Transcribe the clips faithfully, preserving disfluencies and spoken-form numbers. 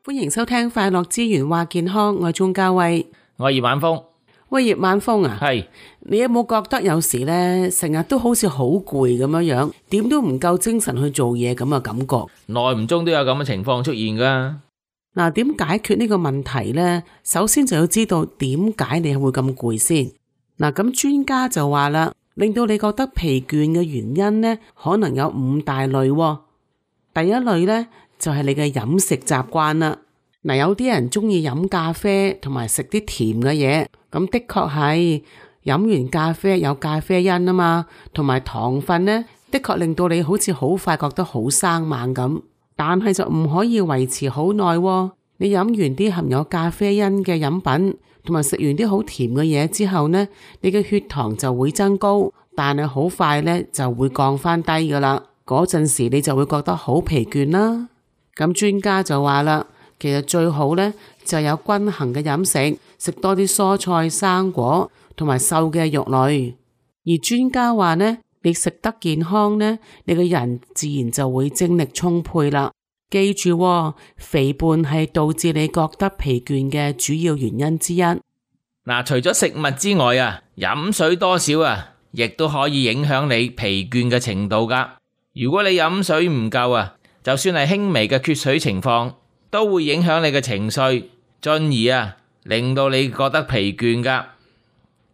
歡迎收聽快樂之源話健康，我係鍾嘉慧，我係葉晚風。喂，葉晚風啊，係你有冇覺得有時呢，成日都好似好攰咁樣樣，點都唔夠精神去做嘢咁嘅感覺？耐唔中都有咁嘅情況出現噶。嗱，點解決呢個問題呢？首先就要知道點解你會咁攰先。嗱，咁專家就話啦，令到你覺得疲倦嘅原因呢，可能有五大類喎。第一類呢，就係你嘅飲食習慣啦。嗱，有啲人中意飲咖啡同埋食啲甜嘅嘢，咁的確係飲完咖啡有咖啡因啊嘛，同埋糖分呢，的確令到你好似好快覺得好生猛咁，但係就唔可以維持好耐喎。你飲完啲含有咖啡因嘅飲品，同埋食完啲好甜嘅嘢之後呢，你嘅血糖就會增高，但係好快呢就會降翻低噶啦。嗰陣時你就會覺得好疲倦啦。咁專家就話啦，其實最好呢就有均衡嘅飲食，食多啲蔬菜、生果同埋瘦嘅肉類。而專家話呢，你食得健康呢，你個人自然就會精力充沛啦。記住喎，肥胖係導致你覺得疲倦嘅主要原因之一。嗱，除咗食物之外啊，飲水多少啊，亦都可以影響你疲倦嘅程度噶。如果你飲水唔夠啊，就算係輕微嘅缺水情況，都會影響你嘅情緒，進而啊令到你覺得疲倦噶。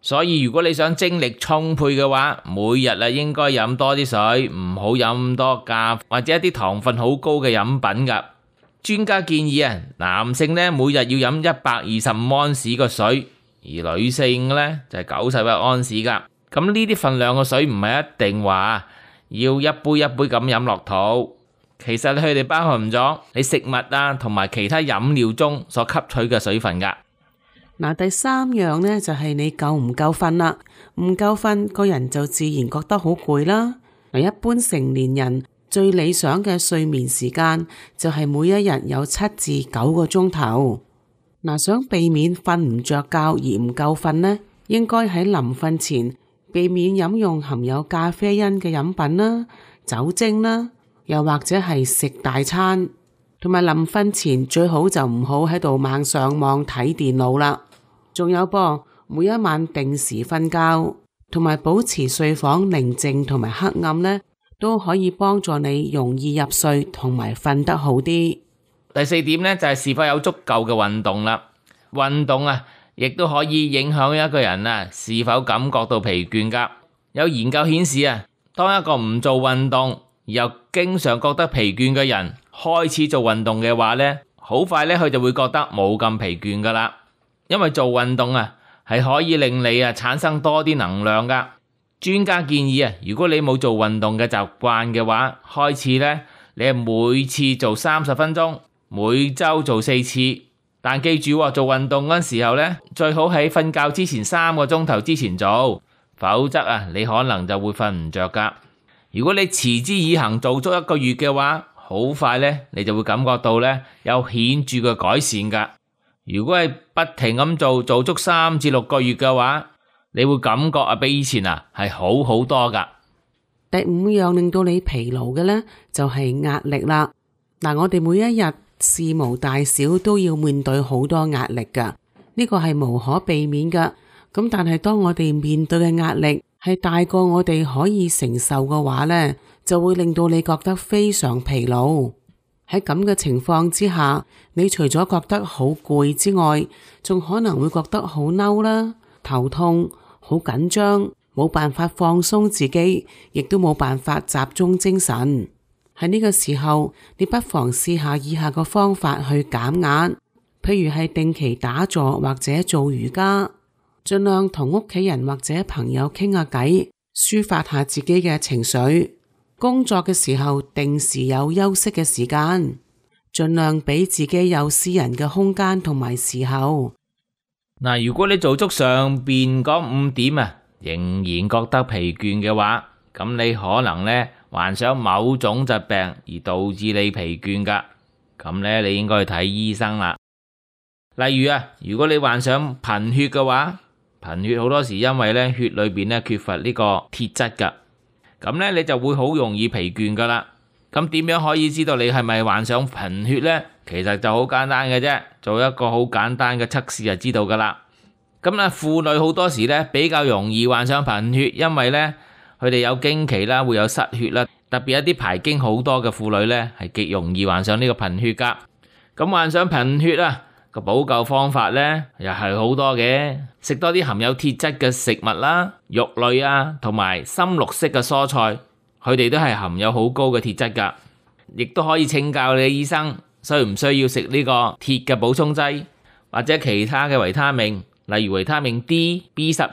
所以如果你想精力充沛嘅話，每日啊應該飲多啲水，唔好飲咁多咖或者一啲糖分好高嘅飲品噶。專家建議啊，男性呢每日要飲一百二十五安士嘅水，而女性呢就係九十一安士噶。咁呢啲份量嘅水唔係一定話要一杯一杯咁飲落肚，其實佢哋包含咗你食物啊同埋其他飲料中所吸取嘅水分噶。嗱，第三樣呢，就係你夠唔夠瞓啦，唔夠瞓個人就自然覺得好攰啦。嗱，一般成年人最理想嘅睡眠時間就係每一日有七至九個鐘頭。嗱，想避免瞓唔着覺而唔夠瞓呢，應該喺臨瞓前避免飲用含有咖啡因嘅飲品啦、酒精啦，又或者係食大餐，同埋臨瞓前最好就唔好喺度猛上網睇電腦啦。仲有噃，每一晚定時瞓覺，同埋保持睡房寧靜同埋黑暗呢，都可以幫助你容易入睡同埋瞓得好啲。第四點呢，就係是否有足夠嘅運動啦。運動啊亦都可以影響一個人啊是否感覺到疲倦噶。有研究顯示啊，當一個唔做運動而又經常覺得疲倦嘅人開始做運動嘅話呢，好快呢，佢就會覺得冇咁疲倦噶啦。因為做運動啊係可以令你啊產生多啲能量噶。專家建議啊，如果你冇做運動嘅習慣嘅話，開始呢，你係每次做三十分鐘，每周做四次。但記住做運動嗰時候呢，最好喺瞓覺之前三個鐘頭之前做，否則啊你可能就會瞓唔着噶。如果你持之以恆做足一個月嘅話，好快呢，你就會感覺到呢有顯著嘅改善噶。如果係不停咁做，做足三至六個月嘅話，你會感覺啊比以前啊係好好多噶。第五樣令到你疲勞嘅呢，就係壓力啦。嗱，我哋每一日事無大小都要面對好多壓力噶，呢個係無可避免噶。咁但係當我哋面對嘅壓力係大過我哋可以承受嘅話呢，就會令到你覺得非常疲勞。喺咁嘅情況之下，你除咗覺得好攰之外，仲可能會覺得好嬲啦、頭痛、好緊張，冇辦法放鬆自己，亦都冇辦法集中精神。喺呢個時候，你不妨試下以下個方法去減壓，譬如係定期打坐或者做瑜伽，盡量同屋企人或者朋友傾下偈，抒發下自己嘅情緒。工作嘅時候定時有休息嘅時間，盡量俾自己有私人嘅空間同埋時候。嗱，如果你做足上邊嗰五點啊，仍然覺得疲倦嘅話，咁你可能呢患上某種疾病而導致你疲倦噶，咁呢你應該去睇醫生啦。例如啊，如果你患上貧血嘅話，貧血好多時因為呢血裏邊呢缺乏呢個鐵質噶。咁咧，你就會好容易疲倦噶啦。咁點樣可以知道你係咪患上貧血呢？其實就好簡單嘅啫，做一個好簡單嘅測試就知道噶啦。咁咧，婦女好多時咧比較容易患上貧血，因為咧佢哋有經期啦，會有失血啦，特別一啲排經好多嘅婦女咧係極容易患上呢個貧血噶。咁患上貧血啊，個補救方法咧又係好多嘅，食多啲含有鐵質嘅食物啦，肉類啊，同埋深綠色嘅蔬菜。佢哋都係含有好高嘅鐵質噶，亦都可以請教你醫生需唔需要食呢個鐵嘅補充劑，或者其他嘅維他命，例如維他命 D、B 十二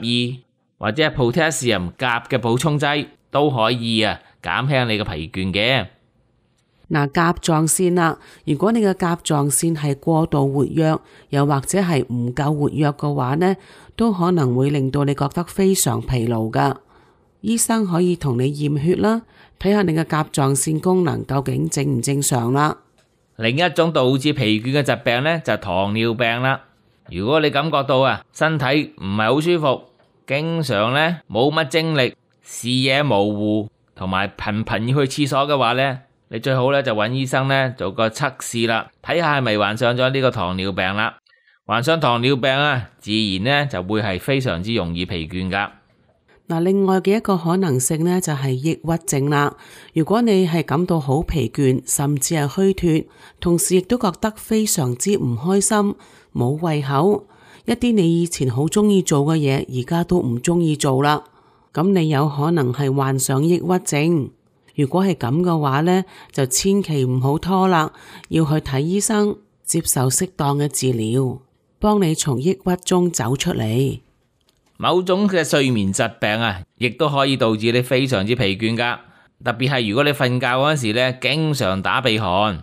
或者係 potassium 鉀嘅補充劑，都可以啊減輕你嘅疲倦嘅。嗱，甲狀腺啦，如果你嘅甲狀腺係過度活躍，又或者係唔夠活躍嘅話呢，都可能會令到你覺得非常疲勞噶。醫生可以同你驗血啦，睇下你嘅甲狀腺功能究竟正唔正常啦。另一種導致疲倦嘅疾病呢，就係糖尿病啦。如果你感覺到啊身體唔係好舒服，經常呢冇乜精力，視野模糊，同埋頻頻要去廁所嘅話呢，你最好呢就揾醫生呢做個測試啦，睇下係咪患上咗呢個糖尿病啦。患上糖尿病啊，自然呢就會係非常之容易疲倦噶。嗱，另外嘅一個可能性呢，就係抑鬱症啦。如果你係感到好疲倦，甚至係虛脫，同時亦都覺得非常之唔開心，冇胃口，一啲你以前好中意做嘅嘢，而家都唔中意做啦。咁你有可能係患上抑鬱症。如果係咁嘅話呢，就千祈唔好拖啦，要去睇醫生，接受適當嘅治療，幫你從抑鬱中走出嚟。某種嘅睡眠疾病啊，亦都可以導致你非常之疲倦噶。特別係如果你瞓覺嗰陣時咧，經常打鼻鼾，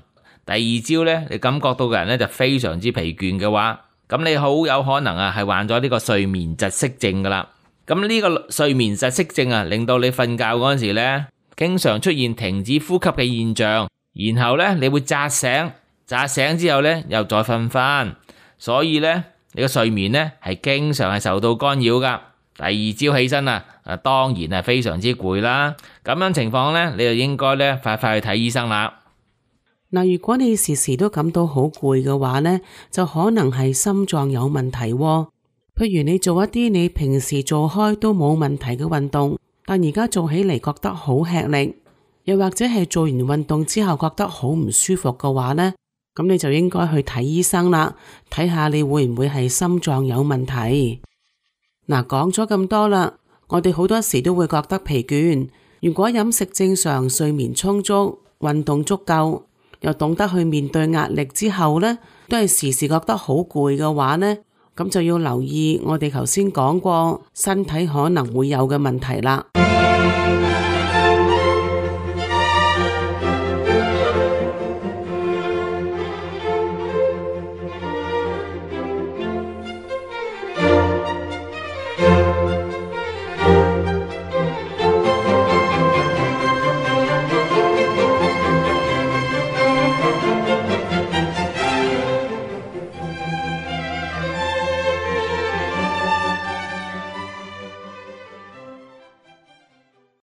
第二朝咧你感覺到嘅人咧就非常之疲倦嘅話，咁你好有可能啊係患咗呢個睡眠窒息症噶啦。咁呢個睡眠窒息症啊，令到你瞓覺嗰陣時咧，經常出現停止呼吸嘅現象，然後咧你會扎醒，扎醒之後咧又再瞓翻，所以咧。你個睡眠呢係經常係受到干擾噶，第二朝起身啊，啊當然係非常之攰啦。咁樣情況呢，你就應該呢快快去睇醫生啦。嗱，如果你時時都感到好攰嘅話呢，就可能係心臟有問題喎。譬如你做一啲你平時做開都冇問題嘅運動，但而家做起嚟覺得好吃力，又或者係做完運動之後覺得好唔舒服嘅話呢，咁你就應該去睇醫生啦，睇下你會唔會係心臟有問題。嗱，講咗咁多啦，我哋好多時都會覺得疲倦。如果飲食正常、睡眠充足、運動足夠，又懂得去面對壓力之後呢，都係時時覺得好攰嘅話呢，咁就要留意我哋頭先講過身體可能會有嘅問題啦。